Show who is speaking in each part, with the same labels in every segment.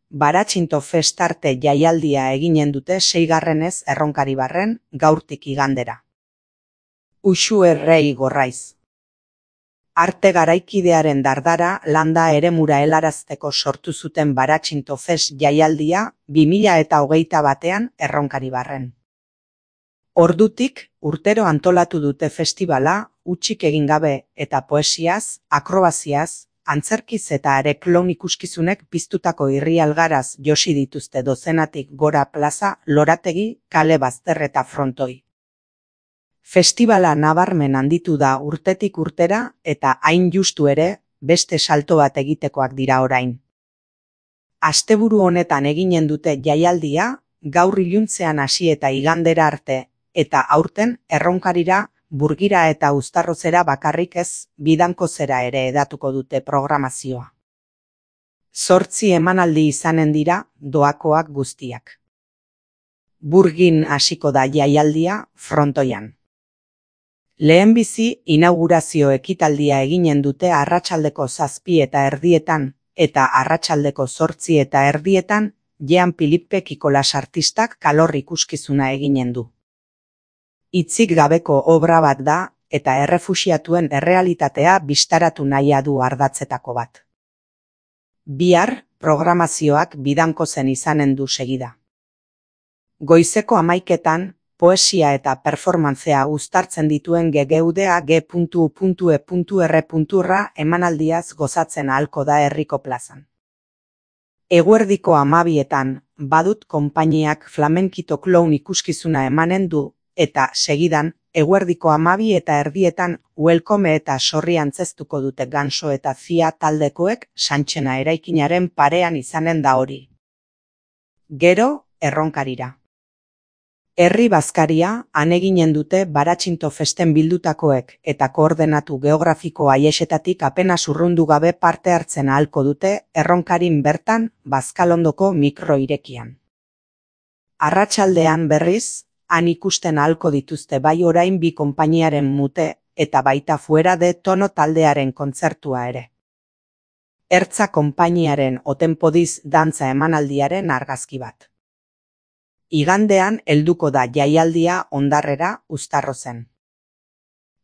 Speaker 1: Baratxinto festarte jaialdia eginen dute 6. Erronkaribarren, gaurtik igandera. Uxu errei gorraiz. Arte garaikidearen dardara landa eremura helarazteko sortu zuten Baratxinto fest jaialdia 2021 Erronkaribarren. Ordutik, urtero antolatu dute festivala, hutsik egin gabe eta poesiaz, akrobaziaz, antzerkiz eta areklon ikuskizunek piztutako irrialgaraz josi dituzte dozenatik gora plaza, lorategi, kale bazter eta frontoi. Festivala nabarmen handitu da urtetik urtera eta hain justu ere, beste salto bat egitekoak dira orain. Asteburu honetan eginen dute jaialdia, gaur iluntzean hasi eta igandera arte, eta aurten Erronkarira, Burgira eta Uztarrozera bakarrik ez, Bidankozera ere edatuko dute programazioa. 8 emanaldi izanen dira, doakoak guztiak. Burgin hasiko da jaialdia, frontoian. Lehenbizi inaugurazio ekitaldia eginen dute arratsaldeko 7:30 eta arratsaldeko 8:30 Jean Philippe Kikolas artistak kalor ikuskizuna eginen du. Hitzik gabeko obra bat da eta errefuxiatuen errealitatea bistaratu nahia du ardatzetako bat. Bihar, programazioak Bidankozen izanen du segida. Goizeko 11:00 poesia eta performantzea uztartzen dituen GGUDA G.U.E.R. emanaldiaz gozatzen ahalko da herriko plazan. Eguerdiko 12:00 Badut konpainiak flamenkito clown ikuskizuna emanen du, eta segidan, eguerdiko 12:30 Welcome eta Sorri antzeztuko dute Ganso eta Zia taldekoek Santxena eraikinaren parean izanen da hori. Gero, Erronkarira. Herri bazkaria, han eginen dute Baratxinto festen bildutakoek eta koordenatu geografiko aiexetatik apenas urrundu gabe parte hartzen ahalko dute Erronkarin bertan Bazkalondoko mikro irekian. Arratsaldean berriz, han ikusten ahalko dituzte bai orain bi konpainiaren mute eta baita Fuera de Tono taldearen kontzertua ere. Ertza konpainiaren Otenpodiz dantza emanaldiaren argazki bat. Igandean helduko da jaialdia Ondarrera, Uztarrozen.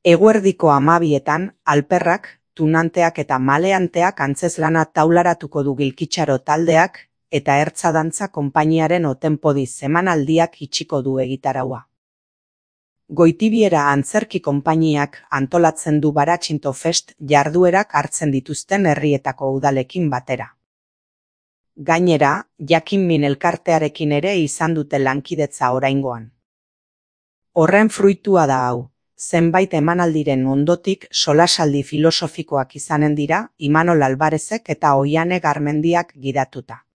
Speaker 1: Eguerdiko 12:00 alperrak, tunanteak eta maleanteak antzeslana taularatuko du Gilkitxaro taldeak eta ertza dantza konpainiaren Otenpodiz emanaldiak itxiko du egitaraua. Goitibiera antzerki konpainiak antolatzen du Baratxinto fest jarduerak hartzen dituzten herrietako udalekin batera. Gainera, Jakinmin elkartearekin ere izan dute lankidetza oraingoan. Horren fruitua da hau, zenbait emanaldiren ondotik solasaldi filosofikoak izanen dira Imanol Alvarezek eta Oiane Garmendiak gidatuta.